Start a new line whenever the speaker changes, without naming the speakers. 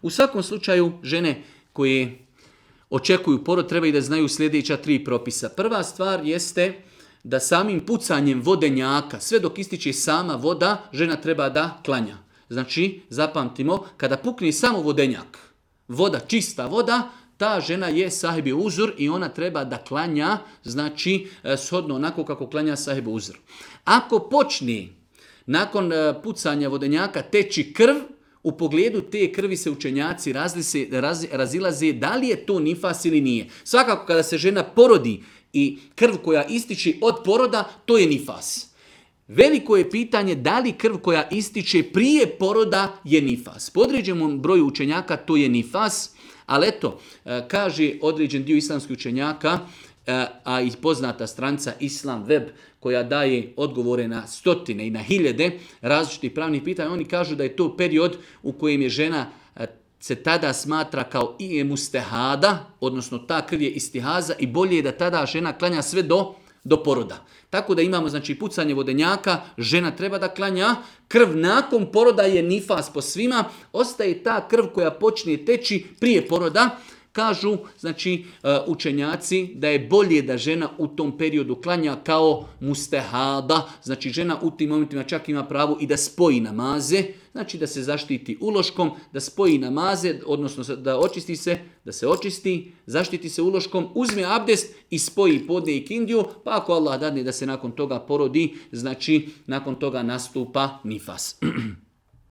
U svakom slučaju, žene koje očekuju porod trebaju da znaju sljedeća 3 propisa. Prva stvar jeste da samim pucanjem vodenjaka, sve dok ističe sama voda, žena treba da klanja. Znači, zapamtimo, kada pukne samo vodenjak, voda, čista voda, ta žena je sahibi uzur i ona treba da klanja, znači, shodno onako kako klanja sahibi uzur. Ako počne nakon pucanja vodenjaka teći krv, u pogledu te krvi se učenjaci razilaze da li je to nifas ili nije. Svakako kada se žena porodi i krv koja ističe od poroda, to je nifas. Veliko je pitanje da li krv koja ističe prije poroda je nifas. Po određenom broju učenjaka to je nifas, ali eto, kaže određen dio islamskih učenjaka, a i poznata stranica Islam Web koja daje odgovore na stotine i na hiljade različitih pravnih pitanja, oni kažu da je to period u kojem je žena se tada smatra kao i mustehada, odnosno ta krv je istihaza i bolje je da tada žena klanja sve do poroda. Tako da imamo znači pucanje vodenjaka, žena treba da klanja, krv nakon poroda je nifas po svima, ostaje ta krv koja počne teći prije poroda. Kažu, znači, učenjaci da je bolje da žena u tom periodu klanja kao mustehada, znači žena u tim momentima čak ima pravo i da spoji namaze, znači da se zaštiti uloškom, da spoji namaze, odnosno da se očisti, zaštiti se uloškom, uzme abdest i spoji podne i kindiju, pa ako Allah dadne da se nakon toga porodi, znači nakon toga nastupa nifas.